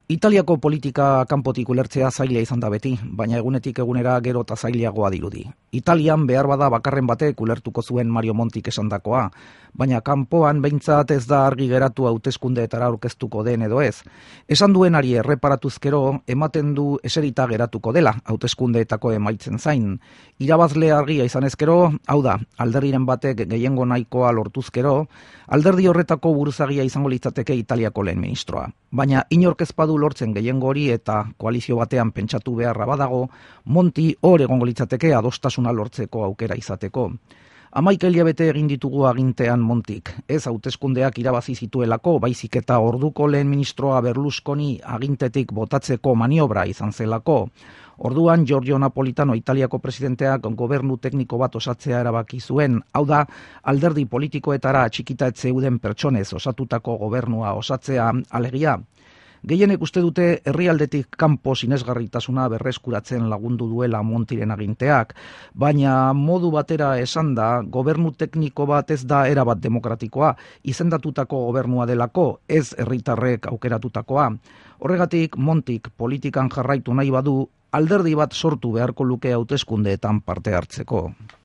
Italiako politika kanpotik ulertzea zaila izan da beti, baina egunetik egunera gero eta zailagoa dirudi. Italian behar bada bakarren batek ulertuko zuen Mario Montik esandakoa, baina kanpoan behintzat ez da argi geratu hauteskundeetara aurkeztuko den edo ez. Esan duenari erreparatuzkero ematen du eserita geratuko dela hauteskundeetako emaitzen zain. Irabazle argia izan ezkero, hau da, alderdiren batek gehiengo nahikoa lortuzkero, alderdi horretako buruzagia izango litzateke Italiako lehen ministroa. Baina inork ez badu lortzen gehiengo hori eta koalizio batean pentsatu beharra badago, Monti hor egongo litzateke adostasuna lortzeko aukera izateko. 11 hilabete egin ditugu agintean Montik, ez hauteskundeak irabazi zituelako, baizik eta orduko lehen ministroa Berlusconi agintetik botatzeko maniobra izan zelako. Orduan Giorgio Napolitano Italiako presidenteak gobernu tekniko bat osatzea erabaki zuen, hau da, alderdi politikoetara atxikita ez zeuden pertsonez osatutako gobernua osatzea alegia. Gehienek uste dute herrialdetik kanpo sinesgarritasuna berreskuratzen lagundu duela Montiren aginteak, baina modu batera esanda gobernu tekniko bat ez da erabat demokratikoa, izendatutako gobernua delako, ez herritarrek aukeratutakoa. Horregatik Montik politikan jarraitu nahi badu, alderdi bat sortu beharko luke hauteskundeetan parte hartzeko.